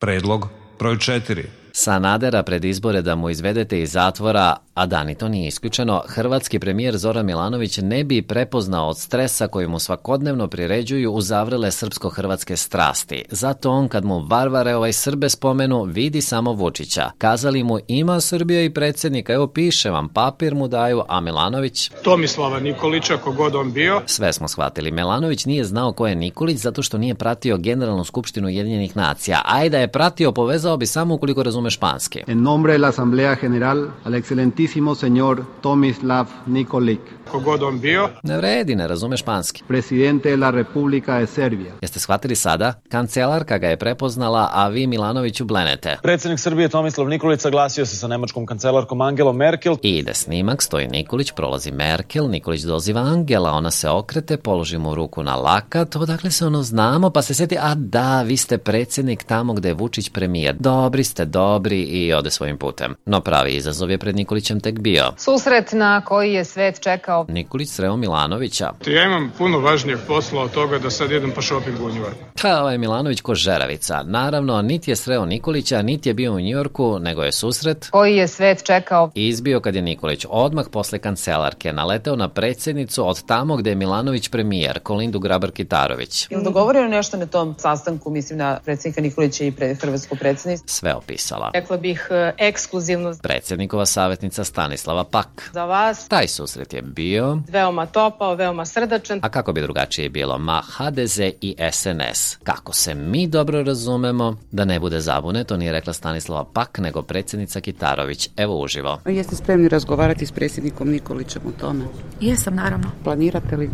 Predlog broj 4. Sanadera pred izbore da mu izvedete iz zatvora, a da ni to nije isključeno, hrvatski premijer Zoran Milanović ne bi prepoznao od stresa koji mu svakodnevno priređuju uzavrele srpsko-hrvatske strasti. Zato on kad mu varvare Srbe spomenu, vidi samo Vučića. Kazali mu ima Srbija i predsjednika, evo piše vam, papir mu daju, a Milanović... Tomislava Nikolića, kogod on bio. Sve smo shvatili. Milanović nije znao ko je Nikolić zato što nije pratio Generalnu skupštinu Ujedinjenih nacija. Ajde da je pratio, povezao bi samo ukoliko razume španski. En nombre de la Asamblea General, al excelentísimo señor Tomislav Nikolić. Kogod on bio. Ne vredi, ne razume španski. Presidente de la República de Serbia. Jeste shvatili sada? Kancelarka ga je prepoznala, a vi Milanoviću blenete. Predsjednik Srbije Tomislav Nikolić saglasio se sa nemačkom kancelarkom Angelom Merkel. I ide snimak, stoji Nikolić, prolazi Merkel, Nikolić doziva Angela, ona se okrete, položi mu ruku na lakat, odakle se ono znamo, pa se sjeti, a da, vi ste predsjednik tamo gde je Vučić premijer. Dobri ste, dobri, i ode svojim putem. No pravi izazov je pred Nikolićem tek bio. Susret na koji je svet čekao. Nikolić sreo Milanovića. Ja imam puno važnijeg posla od toga da sad idem po šopingu u Njujorku. Ovaj Milanović ko žeravica. Naravno, niti je sreo Nikolića, niti je bio u Njujorku, nego je susret koji je svet čekao. Izbio kad je Nikolić odmah posle kancelarke naleteo na predsjednicu od tamo gde je Milanović premijer, Kolindu Grabar-Kitarović. Je li dogovoreno nešto na tom sastanku, mislim na predsjednika Nikolića i hrvatsko predsjedništvo? Sve opisala. Rekla bih ekskluzivno. Predsjednikova savjetnica Stanislava Pak. Za vas. Taj susret je bio veoma topao, veoma srdačan. A kako bi drugačije bilo? Ma HDZ i SNS. Kako se mi dobro razumemo, da ne bude zabune, to nije rekla Stanislava Pak, nego predsjednica Kitarović. Evo uživo. Jeste spremni razgovarati s predsjednikom Nikolićem o tome? Jesam, naravno. Planirate li?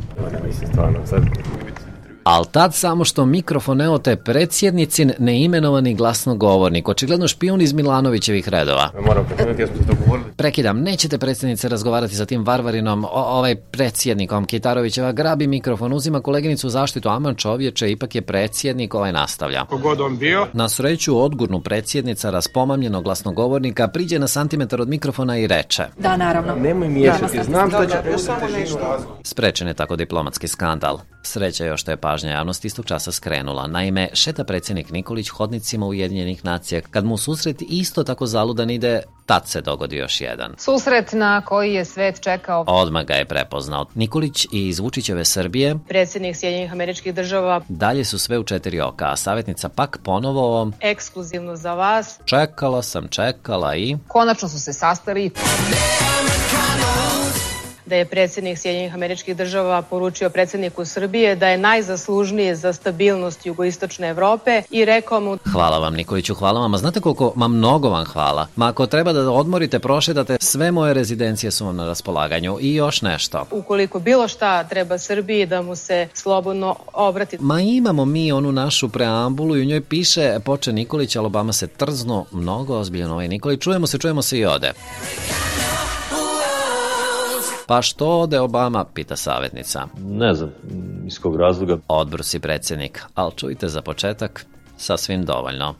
Mislim, stvarno, sad... Al tad samo što mikrofon evo te predsjednicin neimenovani glasnogovornik, očigledno špijun iz Milanovićevih redova. Moram prekinuti, ja smo se dogovorili. Prekidam, nećete predsjednice razgovarati sa tim varvarinom, predsjednikom. Kitarovićeva grabi mikrofon, uzima koleginicu u zaštitu, aman čovječe, ipak je predsjednik, nastavlja. Kogod on bio. Na sreću odgurnu predsjednica raspomamljenog glasnogovornika priđe na santimetar od mikrofona i reče: Da, naravno. Nemoj miješati, znam da će... Sprečen je tako diplomatski skandal. Sreća još što je pažnja javnosti istog časa skrenula. Naime, šeta predsjednik Nikolić hodnicima Ujedinjenih nacija. Kad mu susret isto tako zaludan ide, tad se dogodi još jedan. Susret na koji je svet čekao. Odmah ga je prepoznao. Nikolić iz Vučićeve Srbije, predsjednik Sjedinjenih Američkih Država. Dalje su sve u 4 oka, a savjetnica Pak ponovo ekskluzivno za vas. Čekala sam, čekala i... Konačno su se sastali. Da je predsjednik Sjedinjenih Američkih Država poručio predsjedniku Srbije da je najzaslužniji za stabilnost jugoistočne Evrope i rekao mu: Hvala vam Nikoliću, hvala vam, a znate koliko, mnogo vam hvala. Ako treba da odmorite, prošetate, sve moje rezidencije su vam na raspolaganju i još nešto. Ukoliko bilo šta treba Srbiji, da mu se slobodno obrati. Imamo mi onu našu preambulu i u njoj piše, poče Nikolić, ali Obama se trznu, mnogo ozbiljan Nikolić, čujemo se i ode. Pa što ode Obama, pita savjetnica. Ne znam, iz kog razloga. Odbrusi predsjednik, ali čujte za početak, sasvim dovoljno.